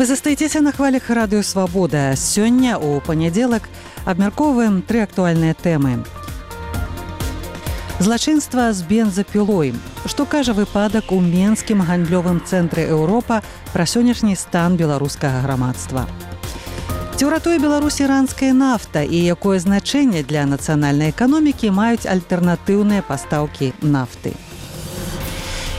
Вы застаецеся на хвалях радыё «Свабода». Сёння, у панядзелак, абмяркоўваем 3 актуальныя тэмы. Злачынства з бензапілой. Што кажа выпадак у Менскім гандлёвым цэнтры «Еўропа» пра сённяшні стан беларускага грамадства? Ці ўратуе Беларусь іранская нафта і якое значэнне для нацыянальнай эканомікі маюць альтэрнатыўныя пастаўкі нафты?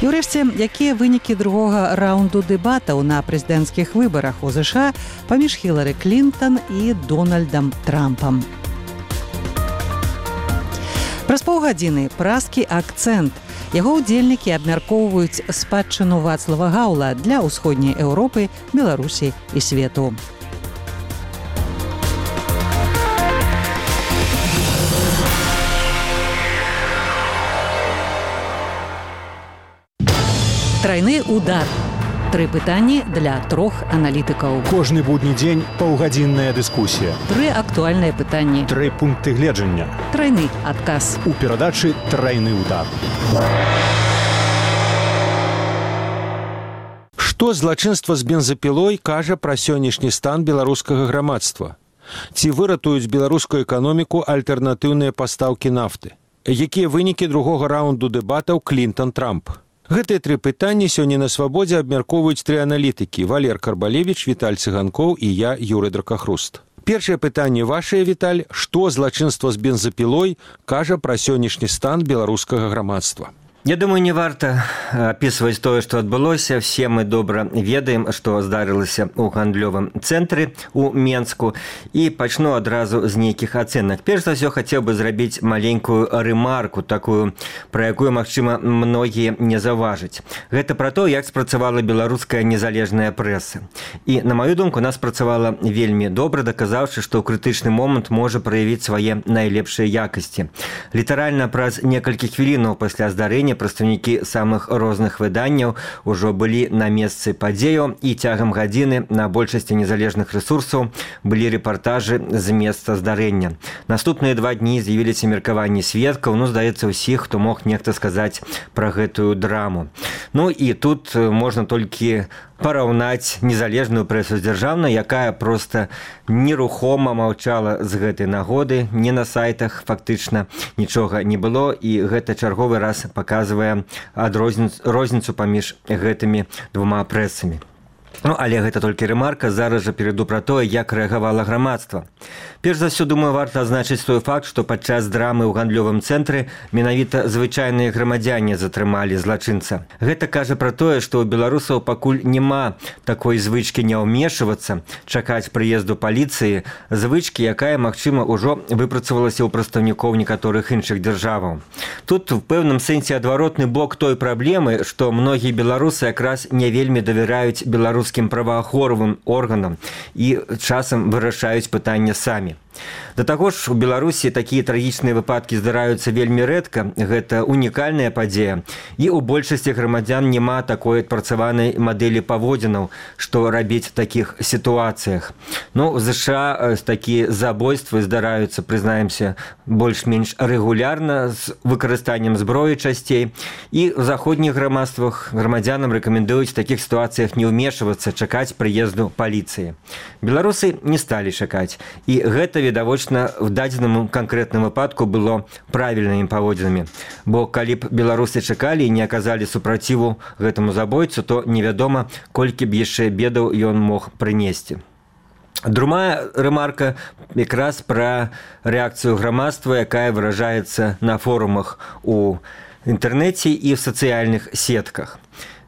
І ўрэшце, якія вынікі другога раунду дэбатаў на прэзідэнцкіх выбарах у ЗША паміж Хілары Клінтон і Дональдам Трампам? Праз паўгадзіны празкі акцэнт. Яго ўдзельнікі абмяркоўваюць спадчыну Вацлава Гаўла для ўсходняй Еўропы, Беларусі і свету. Трайны удар. 3 пытанні для 3 аналітыкаў. Кожны будні дзень паўгадзінная дыскусія. 3 актуальныя пытанні. 3 пункты гледжання. Трайны адказ. У перадачы «Трайны удар». Што злачынства з бензапілой кажа пра сённяшні стан беларускага грамадства? Ці выратуюць беларускую эканоміку альтэрнатыўныя пастаўкі нафты? Якія вынікі другога раунду дэбатаў Клінтон-Трамп? Гэтыя 3 пытанні сёння на «Свабодзе» абмяркоўваюць 3 аналітыкі: Валер Карбалевіч, Віталь Цыганкоў і я, Юрый Дракахруст. Першае пытанне вашае, Віталь: што злачынства з бензапілой кажа пра сённяшні стан беларускага грамадства? Я думаю, не варта описывать тое, што адбылося. Все мы добра ведаем, што здарылася ў гандлёвым цэнтры у Менску. І пачну адразу з нейкіх ацэнак. Перш за ўсё, хацеў бы зрабіць маленькую рэмарку, такую, пра якую, магчыма, многія не заўважаць. Гэта пра то, як спрацавала беларуская незалежная прэса. І, на маю думку, она спрацавала вельмі добра, даказаўшы, што ў крытычны момант можа праявіць свае найлепшыя якасці. Літаральна праз некалькі хвілінаў пасля здарэння прадстаўнікі самых розных выданняў ужо былі на месцы падзеяў, і цягам гадзіны на большасці незалежных рэсурсаў былі рэпартажы з месца здарэння. Наступныя 2 дні з'явіліся меркаванні сведкаў, здаецца, ўсіх, хто мог нехта сказаць пра гэтую драму. І тут можна толькі параўнаць незалежную прэсу з дзяржаўнай, якая проста нерухома маўчала з гэтай нагоды, не на сайтах фактычна нічога не было, і гэта чарговы раз паказвае розніцу паміж гэтымі 2 прэсамі. Але гэта толькі рэмарка, зараз жа перайду пра тое, як рэагавала грамадства. Перш за ўсё, думаю, варта адзначыць той факт, што падчас драмы ў гандлёвым цэнтры менавіта звычайныя грамадзяне затрымалі злачынца. Гэта кажа пра тое, што ў беларусаў пакуль няма такой звычкі не ўмешвацца, чакаць прыезду паліцыі, звычкі, якая, магчыма, ужо выпрацавалася ў прадстаўнікоў некаторых іншых дзяржаваў. Тут у пэўным сэнсе адваротны бок той праблемы, што многія беларусы якраз не вельмі давяраюць беларускім праваахоўным органам і часам вырашаюць пытанне самі. Да таго ж, у Беларусі такія трагічныя выпадкі здараюцца вельмі рэдка, гэта унікальная падзея, і ў большасці грамадзян няма такой адпрацаванай мадэлі паводзінаў, што рабіць в такіх сітуацыях. У ЗША такія забойствы здараюцца, прызнаемся, больш-менш рэгулярна, з выкарыстаннем зброі часцей, і ў заходніх грамадствах грамадзянам рэкамендуюць в такіх сітуацыях не ўмешвацца, чакаць прыезду паліцыі. Беларусы не сталі чакаць, і гэта відавочна в дадзеным канкрэтным выпадку было правільнымі паводзінамі. Бо калі б беларусы чакалі і не аказалі супраціву гэтаму забойцу, то невядома, колькі б яшчэ бедаў ён мог прынесці. Другая рэмарка якраз пра рэакцыю грамадства, якая выражаецца на форумах у інтэрнэце і в сацыяльных сетках.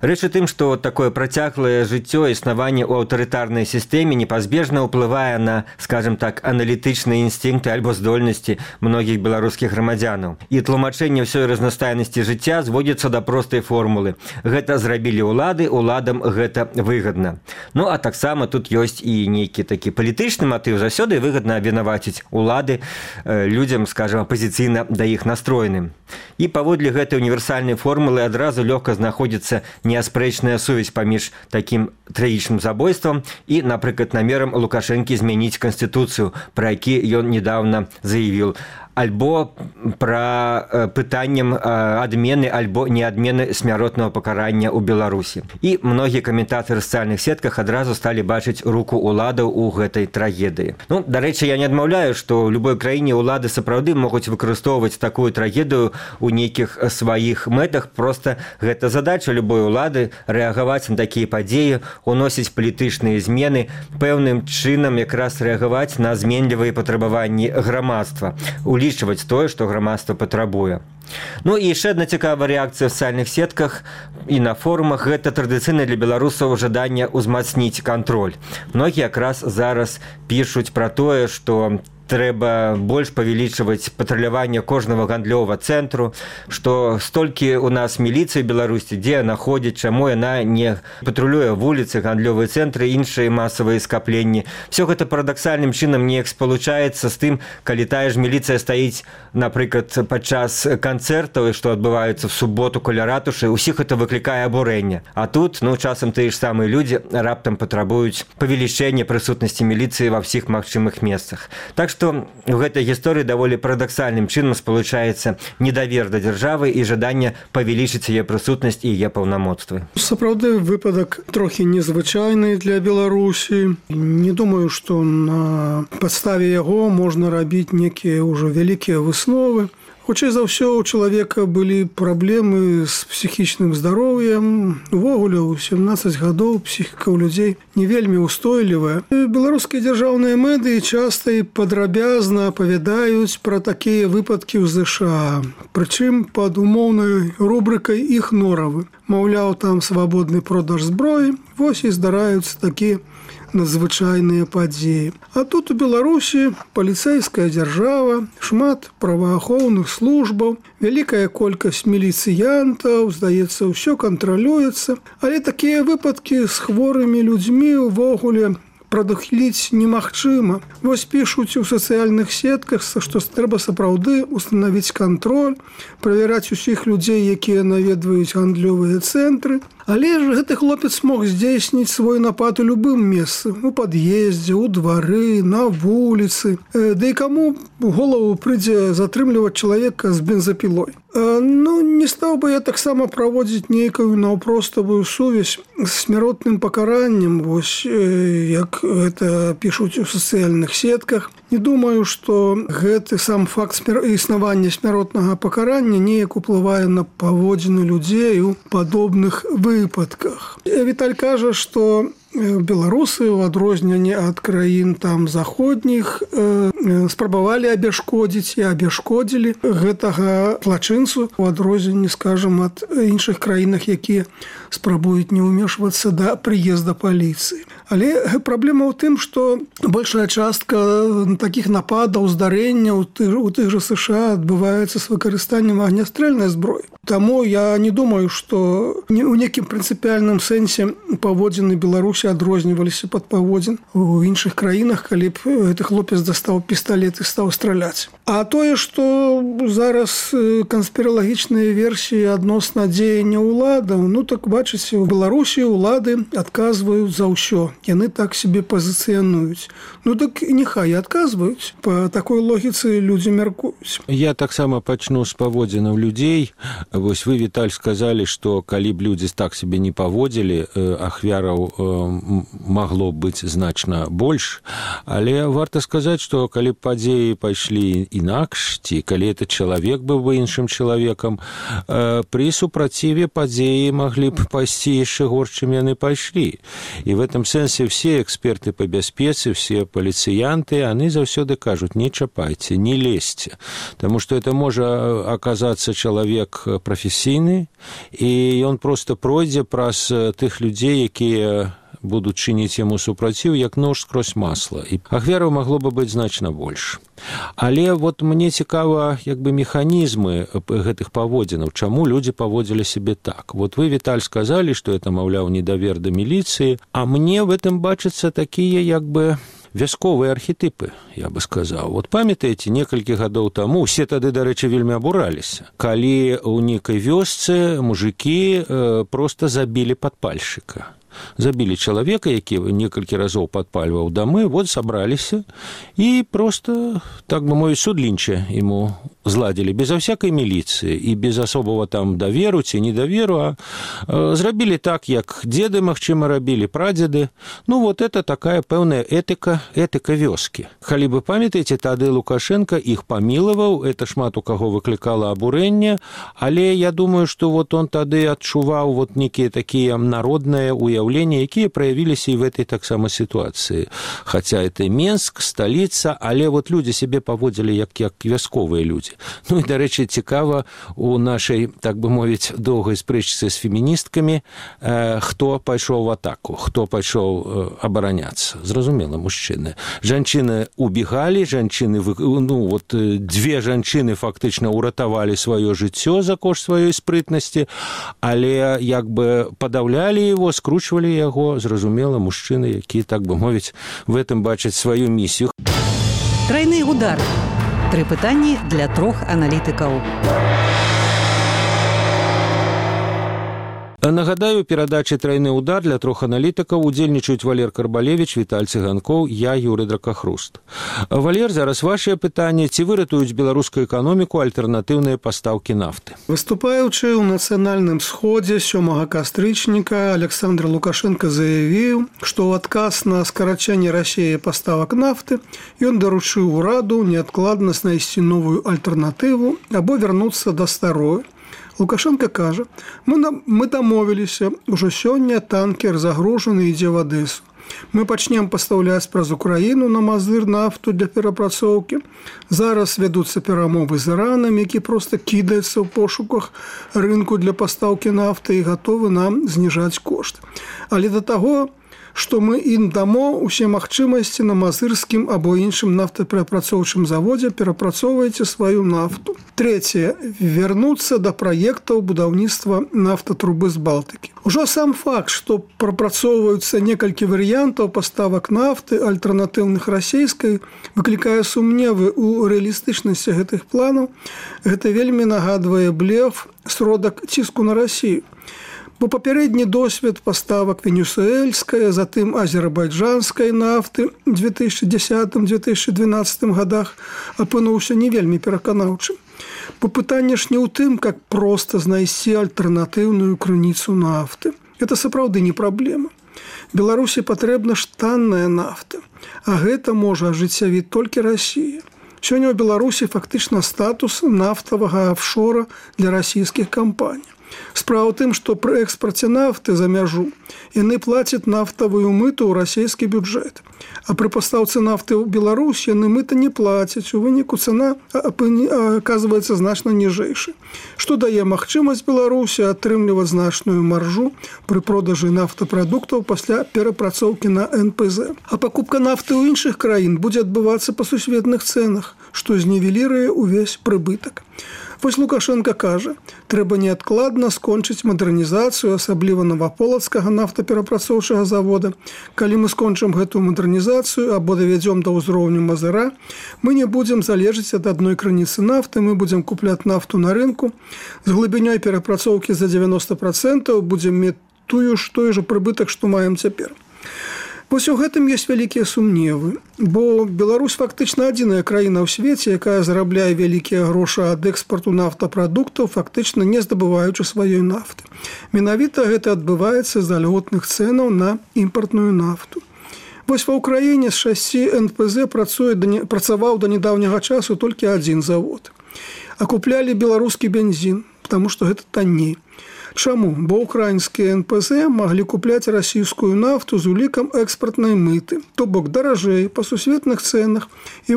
Рэч у тым, што такое працяглае жыццё існаванне ў аўтарытарнай сістэме непазбежна ўплывае на, скажем так, аналітычныя інстынкты альбо здольнасці многіх беларускіх грамадзянаў. І тлумачэнне ўсёй разнастайнасці жыцця зводзіцца да простай формулы. Гэта зрабілі ўлады, уладам гэта выгадна. А таксама тут ёсць і нейкі такі палітычны матыў. Заўсёды выгадна абвінаваціць улады людзям, скажем, апазіцыйна да іх настроеным. І паводле гэтай універсальнай формулы адразу лёгка знаходзіцца неаспрэчная сувязь паміж такім трагічным забойствам і, напрыклад, намерам Лукашэнкі змяніць канстытуцыю, пра які ён недавно заявіў. альбо пра пытаннем адмены альбо не адмены смяротнага пакарання ў Беларусі. І многія каментатары в сацыяльных сетках адразу сталі бачыць руку уладаў у гэтай трагедыі. Ну, дарэчы, я не адмаўляю, што ў любой краіне улады сапраўды могуць выкарыстоўваць такую трагедыю ў нейкіх сваіх мэтах. Проста гэта задача любой улады рэагаваць на такія падзеі, уносіць палітычныя змены, пэўным чынам якраз рэагаваць на зменлівыя патрабаванні грамадства, улічваць тое, што грамадства патрабуе. Ну і яшчэ адна цікавая рэакцыя в сацыяльных сетках і на форумах – гэта традыцыйна для беларусаў жаданне ўзмацніць кантроль. Многія якраз зараз пішуць пра тое, што трэба больш павялічваць патруляванне кожнага гандлёвага цэнтру, што столькі у нас міліцыі Беларусі, дзе яна ходзіць, чаму яна не патрулюе вуліцы, гандлёвыя цэнтры, іншыя масавыя скапленні. Всё гэта парадаксальным чынам неяк спалучаецца з тым, калі тая ж міліцыя стаіць, напрыклад, падчас канцэртаў, што адбываюцца в суботу каля ратушы, усіх гэта выклікае абурэнне. А тут, часам тыя ж самыя людзі раптам патрабуюць павелічэння прысутнасці міліцыі ва ўсіх магчымых месцах. Так што ў гэтай гісторыі даволі парадаксальным чынам спалучаецца недавер да дзяржавы і жаданне павялічыць яе прысутнасць і яе паўнамоцтвы. Сапраўды выпадак трохі незвычайны для Беларусі. Не думаю, што на падставе яго можна рабіць некія ўжо вялікія высновы. Хутчэй за ўсё, у чалавека былі праблемы з псіхічным здароўем. Увогуле, у 17 гадоў псіхіка ў людзей не вельмі ўстойлівая. Беларускія дзяржаўныя медыі часта і падрабязна апавядаюць пра такія выпадкі ў ЗША. Прычым пад умоўнай рубрыкай іх норавы. Маўляў, там свабодны продаж зброі. Вось і здараюцца такія надзвычайныя падзеі. А тут у Беларусі паліцэйская дзяржава, шмат праваахоўных службаў, вялікая колькасць міліцыянтаў, здаецца, ўсё кантралюецца. Але такія выпадкі з хворымі людзьмі ўвогуле прадухіліць немагчыма. Вось пішуць у сацыяльных сетках, што трэба сапраўды устанавіць кантроль, правяраць усіх людзей, якія наведваюць гандлёвыя цэнтры. Але ж гэты хлопец мог здзейсніць свой напад у любым месцы, у пад'ездзе, у двары, на вуліцы. Да і каму у голову прыйдзе затрымліваць чалавека з бензапілой. Не стаў бы я таксама праводзіць нейкую наўпроставую сувязь з смяротным пакараннем, вось як гэта пішуць у сацыяльных сетках. Не думаю, што гэты сам факт існавання смяротнага пакарання неяк уплывае на паводзіны людзей у падобных выпадках. Віталь кажа, што беларусы, у адрозненні ад краін там заходніх, спрабавалі абяшкодзіць і абяшкодзілі гэтага злачынцу, у адрозненні, скажам, ад іншых краінах, якія спрабуюць не ўмешвацца да прыезда паліцыі. Але праблема ў тым, што большая частка такіх нападаў, здарэнняў у тых жа США адбываецца з выкарыстаннем агнястрэльнай зброі. Таму я не думаю, што у некім прынцыпіяльным сэнсе паводзіны Беларусі адрозніваліся пад паводзін у іншых краінах, калі б гэты хлопец дастаў пісталет і стаў страляць. А тое, што зараз канспіралагічныя версіі адносна дзеяння ўладаў, так бачыце, у Беларусі ўлады адказваюць за ўсё. Яны так себе пазіцыянуюць. Так няхай адказваюць. Па такой логіцы людзі мяркуюць. Я таксама пачну з паводзінаў людзей. Вось вы, Віталь, сказалі, што калі б людзі так себе не паводзілі, ахвяраў магло быць значна больш. Але варта сказаць, што калі б падзеі пайшлі інакш, ці калі этот чалавек быў бы іншым чалавекам, пры супраціве падзеі маглі б пайсці яшчэ горш, чым яны пайшлі. І в этом сэнсе все эксперты по бяспецы, все полицыянты, они заўсёды кажуць: не чапайце, не лезьте, потому что это можа оказаться человек професійны, і ён просто пройдзе праз тых людзей, якія будуць чыніць яму супраціў, як нож скрозь масла. І ахвяраў магло бы быць значна больш. Але вот мне цікава механізмы гэтых паводзінаў, чаму людзі паводзілі себе так. Вот вы, Віталь, сказалі, што это, маўляў, недавер да міліцыі, а мне в этом бачацца такія вясковыя архетипы, я бы сказаў. Вот памятаеце, некалькі гадоў таму, усе тады, дарэчы, вельмі абураліся, калі ў нейкай вёсцы мужыкі просто забілі падпальшчыка. забілі чалавека, які некалькі разоў падпальваў дамы, вот сабраліся і просто, так бы мовіць, судлінча ему зладзілі безо всякай міліцыі і без асобага там даверу ці недаверу, а зрабілі так, як деды, магчыма, рабілі, прадзеды. Ну, вот это такая пэўная этыка вёскі. Калі вы памятаеце, тады Лукашенко іх памілаваў, это шмат у каго выклікала абурэнне, але я думаю, што вот он тады адчуваў вот некія такія народныя уяўленні, якія праявіліся і в этой таксама сітуацыі. Хаця это Менск, сталіца, але вот людзі сябе паводзілі як вясковыя людзі. Ну і, дарэчы, цікава у нашай, так бы мовіць, доўгай спрэчцы з феміністкамі, хто пайшоў в атаку, хто пайшоў абараняцца. Зразумела, мужчыны. Жанчыны убегалі, жанчыны, ну, вот две жанчыны фактычна уратавалі сваё жыццё за кошт сваёй спрытнасці, але як бы падаўлялі его, скручвалі яго, зразумела, мужчыны, які, так бы мовіць, в этом бачаць сваю місію. Тройны удар. 3 пытанні для 3 аналітыкаў. Нагадаю, перадачы «Тройны удар» для 3 аналітыкаў удзельнічаюць Валер Карбалевіч, Віталь Цыганкоў, я, Юрый Дракахруст. Валер, зараз вашее пытанне. Ці выратуюць беларускую эканоміку альтэрнатыўныя пастаўкі нафты? Выступаючы ў нацыянальным сходзе 7 кастрычніка, Александр Лукашенко заявіў, што ў адказ на скарачэнне Расіі паставак нафты ён даручыў ураду неадкладна знайсці новую альтэрнатыву або вярнуцца да старой. Лукашенко кажа, мы дамовіліся, ужо сёння танкер загружаны ідзе в Адэсу. Мы пачнем пастаўляць праз Украіну на Мазыр нафту для перапрацоўкі. Зараз вядуцца перамовы з Іранам, які проста кідаецца ў пошуках рынку для пастаўкі нафты і гатовы нам зніжаць кошт. Але да таго, што мы ім дамо усе магчымасці на мазырскім або іншым нафтаперапрацоўчым заводзе, перапрацоўвайце сваю нафту. Трэцяе. Вярнуцца да праектаў будаўніцтва нафтатрубы з Балтыкі. Ужо сам факт, што прапрацоўваюцца некалькі варыянтаў паставак нафты альтэрнатыўных расійскай, выклікае сумневы ў рэалістычнасці гэтых планаў. Гэта вельмі нагадвае блеф, сродак ціску на Расію. Бо папярэдні досвед паставак венесуэльскай, затым азербайджанскай нафты ў 2010-2012 годах апынуўся не вельмі пераканаўчым. Бо пытанне ж не ў тым, как проста знайсці альтэрнатыўную крыніцу нафты. Это сапраўды не праблема. Беларусі патрэбна ж танная нафта, а гэта можа ажыццявіць толькі Расія. Сёння ў Беларусі фактычна статус нафтавага офшора для расійскіх кампаній. Справа ў тым, што пры экспарце нафты за мяжу яны плацяць нафтавую мыту ў расійскі бюджэт. А пры пастаўцы нафты ў Беларусь яны мыта не плацяць. У выніку цана аказваецца значна ніжэйшай, што дае магчымасць Беларусі атрымліваць значную маржу пры продажы нафтапрадуктаў пасля перапрацоўкі на НПЗ. А пакупка нафты ў іншых краін будзе адбывацца па сусветных цэнах, што знівеліруе ўвесь прыбытак. Вось Лукашенко кажа, трэба неадкладна скончыць мадэрнізацыю, асабліва Новаполацкага нафтаперапрацоўчага завода. Калі мы скончым гэтую мадэрнізацыю або давядзём да ўзроўню Мазыра, мы не будзем залежыць ад адной крыніцы нафты, мы будзем купляць нафту на рынку. З глыбінёй перапрацоўкі за 90% будзем мець той жа прыбытак, што маем цяпер. Вось у гэтым ёсць вялікія сумневы, бо Беларусь фактычна адзіная краіна ў свеце, якая зарабляе вялікія грошы ад экспарту нафтапрадуктаў, фактычна не здабываючы сваёй нафты. Менавіта гэта адбываецца з-за льготных цэнаў на імпартную нафту. Вось ва ўкраіне з 6 НПЗ працаваў да нядаўняга часу толькі адзін завод. А куплялі беларускі бензін, таму што гэта танней. Чаму? Бо украінскія НПЗ маглі купляць расійскую нафту з улікам экспартнай мыты, то бок даражэй па сусветных цэнах, і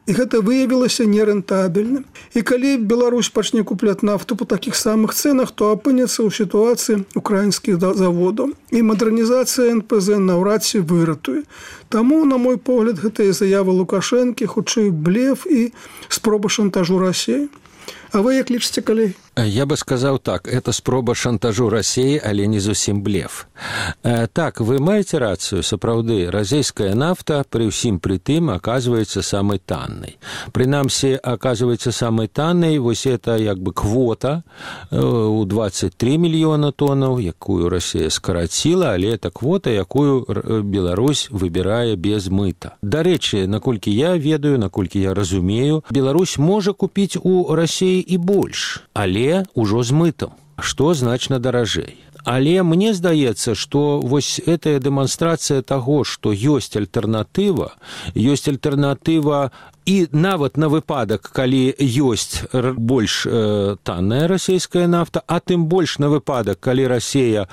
гэта выявілася нерэнтабельным. І калі Беларусь пачне купляць нафту па такіх самых цэнах, то апынецца ў сітуацыі украінскіх заводаў. І мадэрнізацыя НПЗ наўрад ці выратуе. Таму, на мой погляд, гэтыя заявы Лукашэнкі хутчэй блеф і спроба шантажу Расіі. А вы як лічыце, калегі? Я бы сказал так, это спроба шантажу России, але не зусім блеф. Так, вы маете рацию, сапраўды, расійская нафта при ўсім при тым оказывается самой танной. Принамсі, оказывается самой танной, вось это як бы квота у 23 мільёна тоннаў, якую Россия скараціла, але это квота, якую Беларусь выбірае без мыта. Дарэчы, наколькі я ведаю, наколькі я разумею, Беларусь можа купіць у России і больш, але ўжо з мытам, што значна даражэй. Але мне здаецца, што вось гэтая дэманстрацыя таго, што ёсць альтэрнатыва і нават на выпадак, калі ёсць больш танная расійская нафта, а тым больш на выпадак, калі Расія,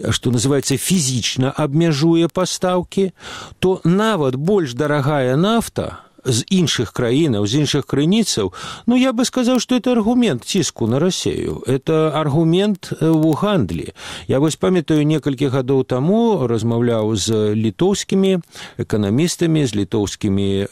што называецца, фізічна абмяжуе пастаўкі, то нават больш дарагая нафта з іншых краінаў, з іншых крыніцаў, ну, я бы сказаў, што это аргумент ціску на Расію. Это аргумент у гандлі. Я вось памятаю, некалькі гадоў таму размаўляў з літоўскімі эканамістамі, з літоўскімі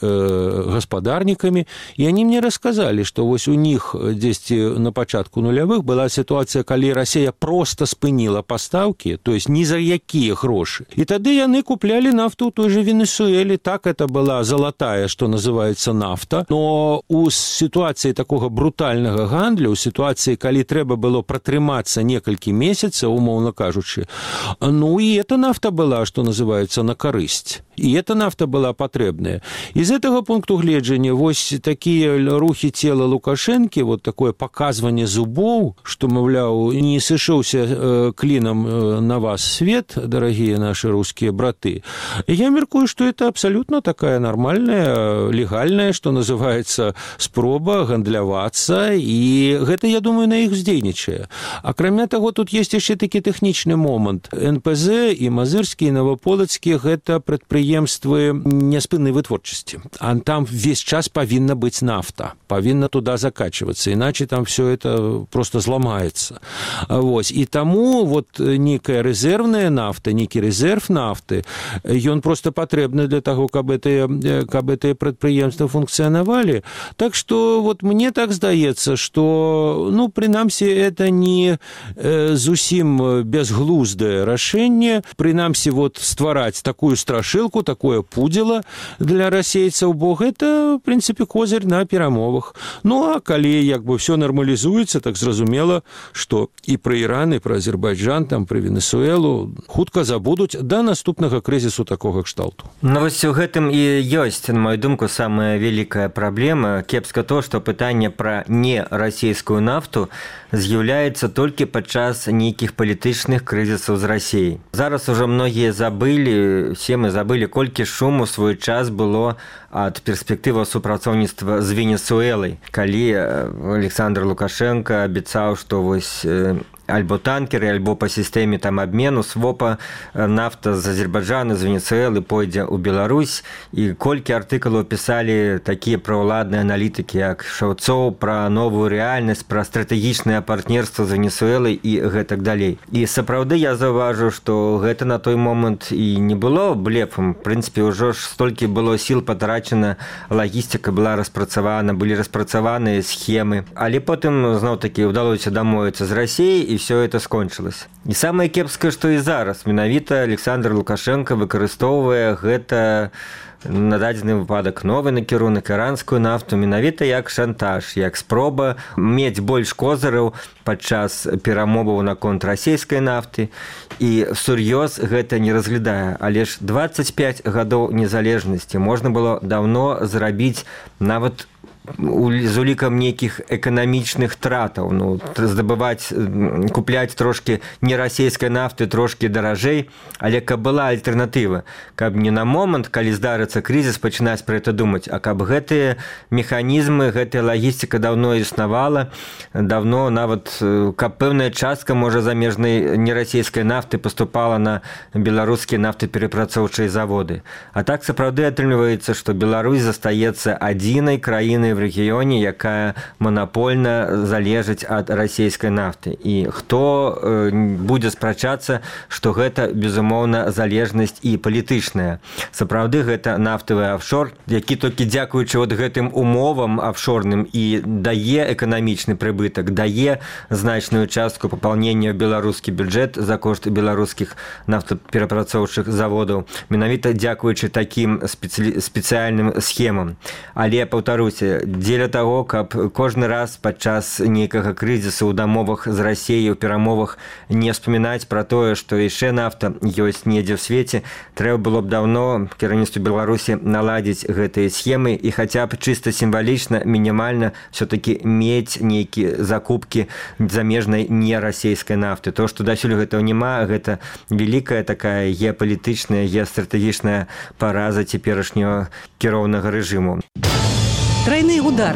гаспадарнікамі, і они мне расказалі, што вось у них дзесьці на пачатку нулявых была сітуацыя, калі Расія проста спыніла пастаўкі, то есть ні за якія грошы. І тады яны куплялі нафту ў той же Венесуэле. Так это была залатая, што называется нафта, но у ситуации такого брутального гандлю, у ситуации, калі трэба было пратрымацца некалькі месяцаў, умоўна кажучы, ну и эта нафта была, что называется, на карысць. И эта нафта была патрэбная. Из этого пункту гледжання вось такие рухи тела Лукашэнкі, вот такое показывание зубоў, что, маўляў, не сышоўся клином на вас свет, дорогие наши русские браты. Я меркую, что это абсолютно такая нормальная, легальная, что называется, спроба гандлявацца, и гэта, я думаю, на іх уздзейнічае. Акрамя таго, тут есть яшчэ такі тэхнічны момант. НПЗ і Мазырскі, і Новополацкі – гэта прадпрыемствы няспыннай вытворчасці. А там весь час павінна быць нафта, павінна туда закачиваться, иначе там все это просто зламаецца. Вось. І таму вот некая рэзервная нафта, некі рэзерв нафты, ён просто патрэбны для таго, каб гэтыя прадпрыемства функцыянавалі. Так что вот мне так здаецца, что, ну, прынамсі, это не зусім безглуздае рашэнне, прынамсі, вот ствараць такую страшылку, такое пудзіла для расейцаў, бо гэта, в прынцыпе, козырь на перамовах. Ну, а калі як бы все нармалізуецца, так зразумела, што і пра Іран, і пра Азербайджан, там, пра Венесуэлу хутка забудуць да наступнага крызісу такога кшталту. Ну, вось у гэтым і ёсць, на мою думку, самая вялікая праблема. Кепска то, што пытанне пра нерасійскую нафту з'яўляецца толькі падчас нейкіх палітычных крызісаў з Расіяй. Зараз ужо многія забылі, все мы забылі, колькі шуму свой час было ад перспектывы супрацоўніцтва з Венесуэлай, калі Александр Лукашенко абяцаў, што вось альбо танкеры, альбо по сістэме там абмену свопа нафта з Азербайджана, з Венесуэлы пойдзе ў Беларусь, і колькі артыкулаў пісалі такія праўладныя аналітыкі, як Шаўцоў, пра новую рэальнасць, пра стратэгічнае партнерства з Венесуэлай і гэтак далей. І сапраўды я заўважу, што гэта на той момант і не было блефам. В прынцыпе, ўжо ж столькі было сіл патрачана, лагістыка была распрацавана, былі распрацаваныя схемы. Але потым, зноў-такі, удалося дамовіцца з Расіяй, і все это скончылось. І самае кепскае, што і зараз менавіта Александр Лукашенко выкарыстоўвае гэта на дадзены выпадак новы накірунак, іранскую нафту, менавіта як шантаж, як спроба мець больш козыраў падчас перамоваў наконт расійскай нафты, і сур'ёз гэта не разглядае. Але ж 25 гадоў незалежнасці можна было даўно зрабіць нават з улікам нейкіх эканамічных тратаў, ну, здабываць, купляць трошкі нерасійскай нафты трошкі даражэй, але каб была альтэрнатыва, каб не на момант, калі здарыцца крызіс, пачынаць пра гэта думаць, а каб гэтыя механізмы, гэтая лагістыка даўно існавала, даўно нават, каб пэўная частка, можа, замежнай нерасійскай нафты паступала на беларускія нафтаперапрацоўчыя заводы. А так сапраўды атрымліваецца, што Беларусь застаецца адзінай краінай в рэгіёне, якая манапольна залежыць ад расійскай нафты. І хто будзе спрачацца, што гэта, безумоўна, залежнасць і палітычная. Сапраўды, гэта нафтавы офшор, які толькі дзякуючы от гэтым умовам офшорным і дае эканамічны прыбытак, дае значную частку папаўнення ў беларускі бюджэт за кошт беларускіх нафтаперапрацоўчых заводаў, менавіта дзякуючы такім спецыяльным схемам. Але, паўтаруся, дзеля таго, каб кожны раз падчас нейкага крызісу ў дамовах з Расіяй, у перамовах не вспамінаць пра тое, што яшчэ нафта ёсць недзе ў свеце, трэба было б даўно кіраўніцтву Беларусі наладзіць гэтыя схемы і хаця б чыста сімвалічна, мінімальна все-таки мець нейкія закупкі замежнай нерасійскай нафты. То, што дасюль гэтага няма, гэта вялікая такая геапалітычная, геастратэгічная параза цяперашняга кіроўнага рэжыму. Тройны удар.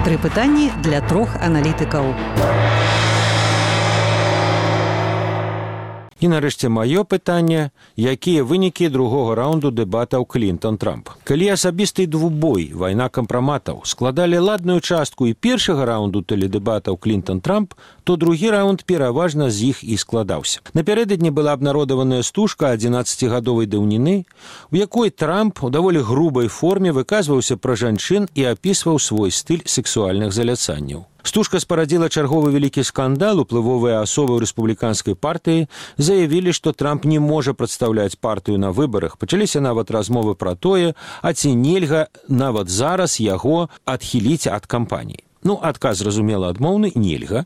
3 пытанні для 3 аналітыкаў. І нарэшце маё пытанне, якія вынікі другога раунду дэбатаў Клінтон-Трамп. Калі асабісты двубой, вайна кампраматаў, складалі ладную частку і першага раунду тэледэбатаў Клінтон-Трамп, то другі раунд пераважна з іх і складаўся. Напярэдадні была абнародаваная стужка 11-гадовай даўніны, у якой Трамп у даволі грубай форме выказваўся пра жанчын і апісваў свой стыль сексуальных заляцанняў. Стужка спарадзіла чарговы вялікі скандал. Уплывовыя асобы ў рэспубліканскай партыі заявілі, што Трамп не можа прадстаўляць партыю на выбарах. Пачаліся нават размовы пра тое, а ці нельга нават зараз яго адхіліць ад кампаніі. Адказ, зразумела, адмоўны, нельга.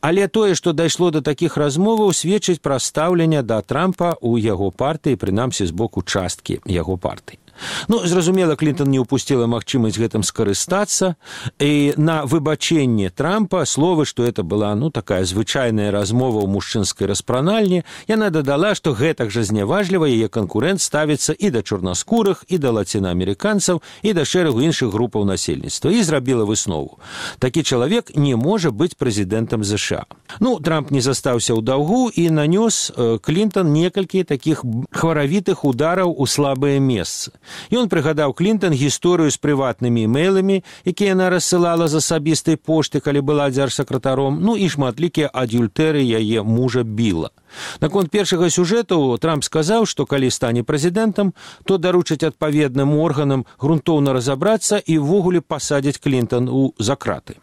Але тое, што дайшло да такіх размоваў, сведчыць пра стаўленне да Трампа ў яго партыі, прынамсі з боку часткі яго партыі. Зразумела, Клінтон не ўпусціла магчымасць гэтым скарыстацца, і на выбачэнне Трампа словы, што это была, такая звычайная размова ў мужчынскай распранальні, яна дадала, што гэтак жа зняважліва яе канкурэнт ставіцца і да чорнаскурых, і да лацінаамерыканцаў, і да шэрагу іншых групаў насельніцтва, і зрабіла выснову. Такі чалавек не можа быць прэзідэнтам ЗША. Трамп не застаўся ў даўгу і нанёс Клінтон некалькі такіх хваравітых удараў у слабыя месцы. Ён прыгадаў Клінтон гісторыю з прыватнымі імэйламі, якія яна рассылала з асабістай пошты, калі была дзяржсакратаром, і шматлікія адюльтэры яе мужа Біла. Наконт першага сюжэту Трамп сказаў, што калі стане прэзідэнтам, то даручыць адпаведным органам грунтоўна разабрацца і ўвогуле пасадзіць Клінтон за краты.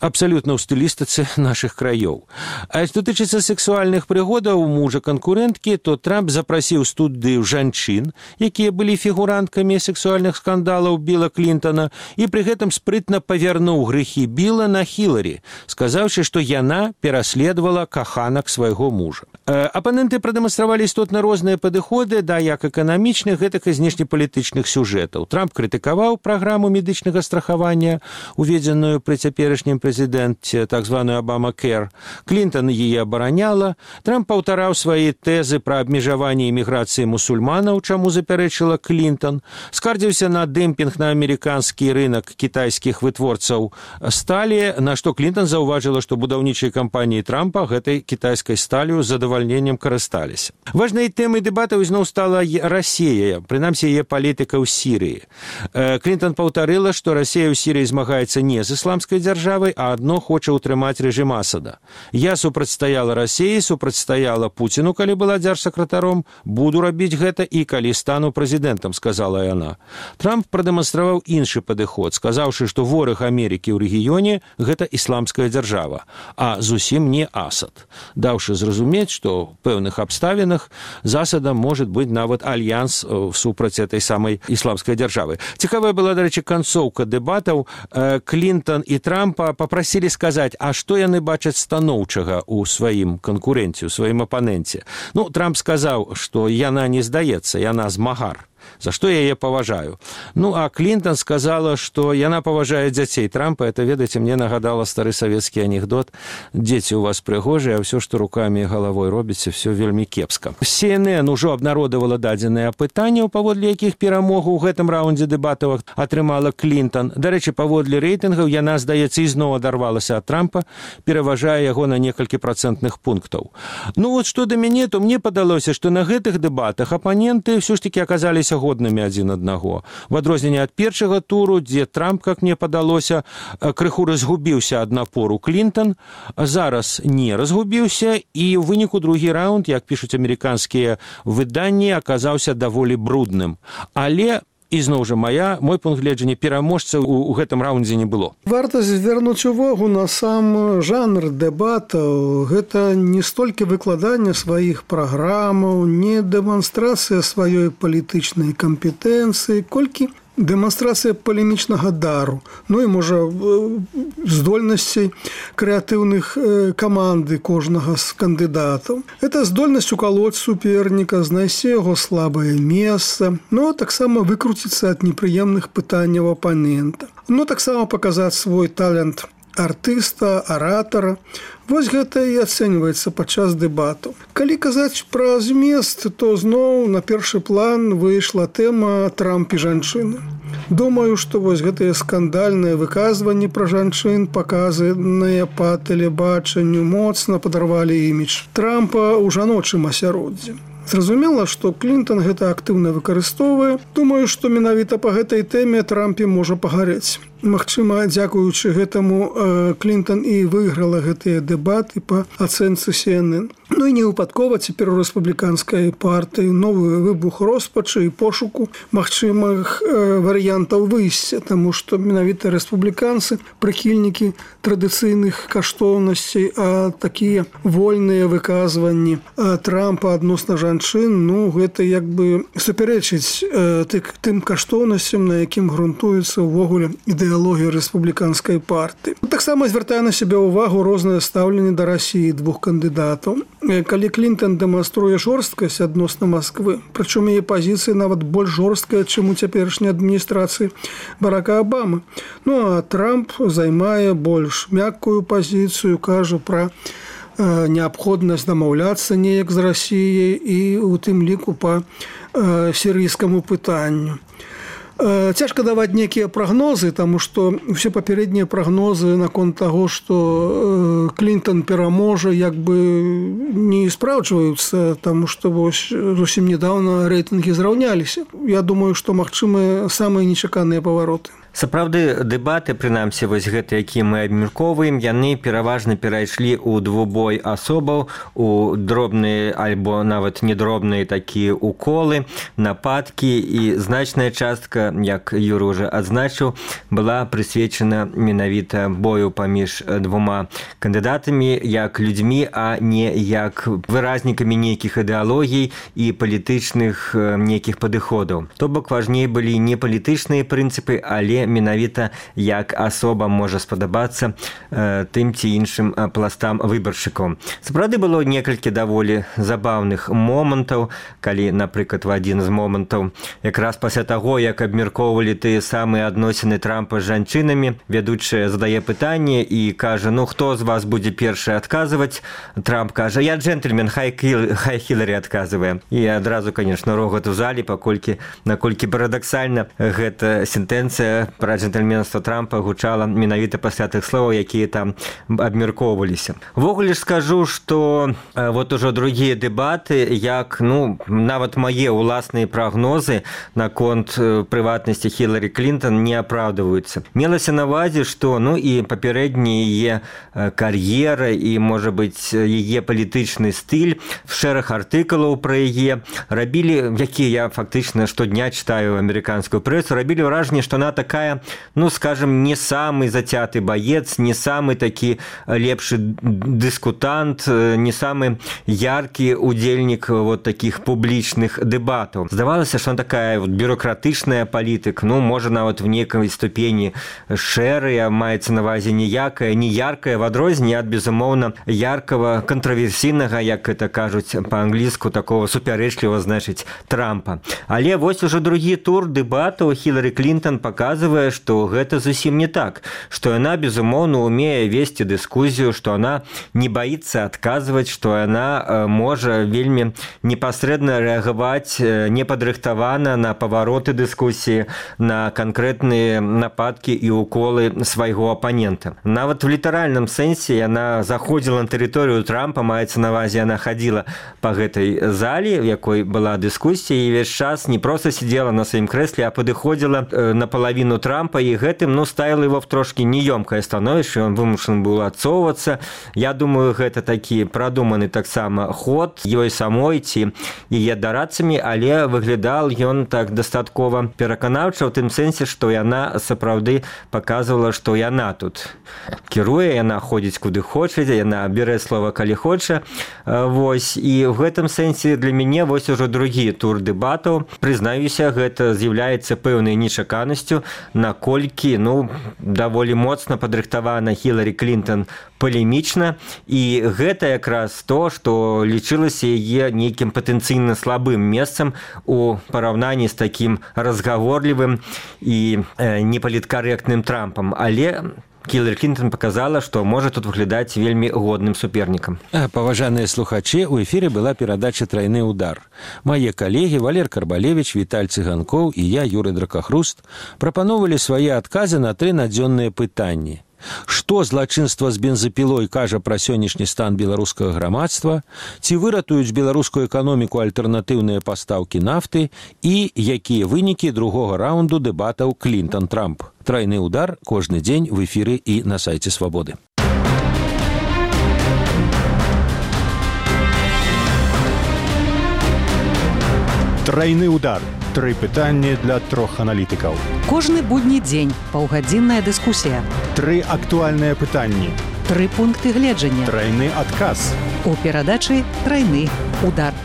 Абсалютна ў стылістыцы нашых краёў. А што тычыцца сексуальных прыгодаў мужа канкурэнткі, то Трамп запрасіў студыю жанчын, якія былі фігуранткамі сексуальных скандалаў Біла Клінтона, і пры гэтым спрытна павярнуў грэхі Біла на Хіларі, сказаўшы, што яна пераследавала каханак свайго мужа. Апаненты прадэманстравалі істотна розныя падыходы да як эканамічных, гэтак і знешнепалітычных сюжэтаў. Трамп крытыкаваў праграму медычнага страхавання, уведзеную пры цяперашнім прэзідэнце, так званую Обама-Кэр. Клінтон яе абараняла. Трамп паўтараў свае тэзы пра абмежаванне іміграцыі мусульманаў, чаму запярэчыла Клінтон. Скардзіўся на дэмпінг на амерыканскі рынак кітайскіх вытворцаў сталі, на што Клінтон заўважыла, што будаўнічыя кампаніі Трампа гэтай кітайскай сталью з задавальненнем карысталіся. Важнай тэмай дэбатаў ізноў стала Расія, прынамсі яе палітыка ў Сірыі. Клінтон паўтарыла, што Расія ў Сірыі змагаецца не з ісламскай дзяржавай, а адно хоча ўтрымаць рэжым Асада. Я супрацьстаяла Расіі, супрацьстаяла Пуціну, калі была дзяржсакратаром, буду рабіць гэта і калі стану прэзідэнтам, сказала яна. Трамп прадэманстраваў іншы падыход, сказаўшы, што вораг Амерыкі ў рэгіёне – гэта ісламская дзяржава, а зусім не Асад. Даўшы зразумець, што ў пэўных абставінах з Асадам можа быць нават альянс супраць этой самай ісламскай дзяржавы. Цікавая была, дарэчы, канцоўка дэбатаў. Клінтон і Трампа папрасілі сказаць, а што яны бачаць станоўчага ў сваім канкурэнце, у сваім апаненце. Трамп сказаў, што яна не здаецца, яна змагар. За што я яе паважаю. А Клінтон сказала, што яна паважае дзяцей Трампа. Это, ведаеце, мне нагадала стары савецкі анекдот. Дзеці ў вас прыгожыя, а ўсё, што рукамі і галавой робіце, ўсё вельмі кепска. CNN ужо абнародавала дадзеныя апытанняў, паводле якіх перамогу ў гэтым раундзе дэбатаў атрымала Клінтон. Дарэчы, паводле рэйтынгаў яна, здаецца, ізноў адарвалася ад Трампа, пераважае яго на некалькі працэнтных пунктаў. Што да мяне, то мне падалося, што на гэтых дэбатах апаненты ўсё ж такі аказаліся здаваліся годнымі адзін аднаго. В адрозненне ад першага туру, дзе Трамп, как мне падалося, крыху разгубіўся ад напору Клінтон, зараз не разгубіўся, і ў выніку другі раунд, як пішуць амерыканскія выданні, аказаўся даволі брудным. Але ізноў жа мой пункт гледжання, пераможца ў гэтым раундзе не было. Варта звярнуць увагу на сам жанр дэбатаў. Гэта не столькі выкладання сваіх праграмаў, не дэманстрацыя сваёй палітычнай кампетэнцыі, колькі дэманстрацыя палемічнага дару, ну і, можа, здольнасцей крэатыўных каманды кожнага з кандыдатаў. Это здольнасць укалоць суперніка, знайсці яго слабае месца, но таксама выкруціцца ад непрыемных пытанняў апанента. Ну, таксама паказаць свой талент артыста, аратара. Вось гэта і ацэньваецца падчас дэбату. Калі казаць пра змест, то зноў на першы план выйшла тэма Трамп і жанчыны. Думаю, што вось гэтыя скандальныя выказванні пра жанчын, паказаныя па тэлебачанню, моцна падарвалі імідж Трампа ў жаночым асяроддзі. Зразумела, што Клінтон гэта актыўна выкарыстоўвае. Думаю, што менавіта па гэтай тэме Трампе можа пагарэць. Магчыма, дзякуючы гэтаму Клінтон і выйграла гэтыя дэбаты па ацэнцы CNN. Ну і не выпадкова цяпер у рэспубліканскай партыі новы выбух роспачы і пошуку магчымых варыянтаў выйсця, таму што менавіта рэспубліканцы, прыхільнікі традыцыйных каштоўнасцей, а такія вольныя выказванні Трампа адносна жанчын, ну, гэта як бы супярэчыць тым каштоўнасцям, на якім грунтуецца ўвогуле ідэалогія рэспубліканскай партыі. Таксама звяртае на сябе ўвагу рознае стаўленне да Расіі двух кандыдатаў. Калі Клінтон дэманструе жорсткасць адносна Масквы, прычым яе пазіцыя нават больш жорсткая, чым у цяперашняй адміністрацыі Барака Абамы. Ну, а Трамп займае больш мяккую пазіцыю, кажа пра неабходнасць дамаўляцца неяк з Расіяй і у тым ліку па сірыйскаму пытанню. Цяжка даваць нейкія прагнозы, таму што ўсе папярэднія прагнозы наконт таго, што Клінтон пераможа, як бы не спраўджваюцца, таму што вось зусім нядаўна рэйтынгі зраўняліся. Я думаю, што магчымыя самыя нечаканыя павароты. Сапраўды, дэбаты, прынамсі, вось гэта, якія мы абмяркоўваем, яны пераважна перайшлі ў двубой асобаў, у дробныя альбо нават недробныя такія уколы, нападкі, і значная частка, як Юра ўжо адзначыў, была прысвечана менавіта бою паміж двума кандыдатамі, як людзьмі, а не як выразнікамі нейкіх ідэалогій і палітычных нейкіх падыходаў. То бок важней былі не палітычныя прынцыпы, але менавіта як асоба можа спадабацца тым ці іншым пластам выбаршчыкаў. Сапраўды было некалькі даволі забаўных момантаў, калі, напрыклад, в адзін з момантаў, якраз пасля таго, як абмяркоўвалі тыя самыя адносіны Трампа з жанчынамі, вядучая задае пытанне і кажа, ну, хто з вас будзе першы адказваць? Трамп кажа, я джентльмен, хай Хіларі адказвае. І адразу, конечно, рогат у залі, наколькі парадаксальна гэта сентэнцыя пра джентльменства Трампа гучала менавіта пасля тых словаў, якія там абмяркоўваліся. Ввогуле ж скажу, што вот ужо другія дэбаты, як, ну, нават мае ўласныя прагнозы наконт прыватнасці Хіларі Клінтон не апраўдваюцца. Мелася на ўвазе, што, ну, і папярэдняя яе кар'ера і, можа быць, яе палітычны стыль, шэраг артыкулаў пра яе рабілі, якія я фактычна штодня читаю амерыканскую прэсу, рабілі ўражанне, што она такая, ну, скажем, не самый затяты боец, не самый такі лепшы дыскутант, не самый яркі удзельнік вот таких публічных дэбатаў. Здавалася, што она такая вот бюрократычная палітык, ну, можа, нават в некай ступені шэрая, маецца на ўвазе ніякая, не яркая, в адрозненне ад, безумоўна, яркага, кантраверсійнага, як это кажуць па-англійску, такого супярэчлівага, значыць, Трампа. Але вось ужо другі тур дэбатаў Хіларі Клінтон показывае, што гэта зусім не так, што яна, безумоўна, умее весці дыскусію, што она не боится адказваць, што яна можа вельмі непасрэдна рэагаваць непадрыхтавана на павароты дыскусіі, агрэсіі, на канкрэтныя нападкі і уколы свайго апанента. Нават в літаральным сэнсе яна заходзіла на тэрыторыю Трампа, маецца на ўвазе, яна хадзіла па гэтай зале, в якой была дыскусія, і ўвесь час не проста сидела на сваім крэсле, а падыходзіла на палавіну Трампа, і гэтым, ставіла его в трошки неёмкае становішча, ён вымушаны быў адцоўвацца. Я думаю, гэта такі прадуманы таксама ход ёй самой ці яе дарадцамі, але выглядал ён так дастаткова пераканаўча, ў тым сэнсе, што яна сапраўды паказвала, што яна тут кіруе, яна ходзіць куды хоча, яна бярэ слова калі хоча. Вось, і в гэтым сэнсе для мяне вось ужо другі тур дэбатаў. Прызнаюся, гэта з'яўляецца пэўнай нечаканасцю, наколькі, даволі моцна падрыхтавана Хіларі Клінтон палемічна, і гэта якраз то, што лічылася яе нейкім патэнцыйна слабым месцам у параўнанні з такім разгаворлівым і непаліткарэктным Трампам. Але Хіларі Клінтон показала, што можа тут выглядаць вельмі годным супернікам. Паважаныя слухачы, у эфіры была перадача «Трайны удар». Мае калегі Валер Карбалевіч, Віталь Цыганкоў і я, Юрый Дракахруст, прапановалі свае адказы на 3 надзённыя пытанні. Што злачынства з бензапілой кажа пра сённяшні стан беларускага грамадства, ці выратуюць беларускую эканоміку альтэрнатыўныя пастаўкі нафты і якія вынікі другога раунду дэбатаў Клінтон-Трамп. Трайны удар кожны дзень в эфіры і на сайце Свабоды. Трайны удар. 3 пытанні для 3 аналітыкаў. Кожны будні дзень паўгадзінная дыскусія. 3 актуальныя пытанні. 3 пункты гледжання. Трайны адказ. У перадачы «Трайны удар».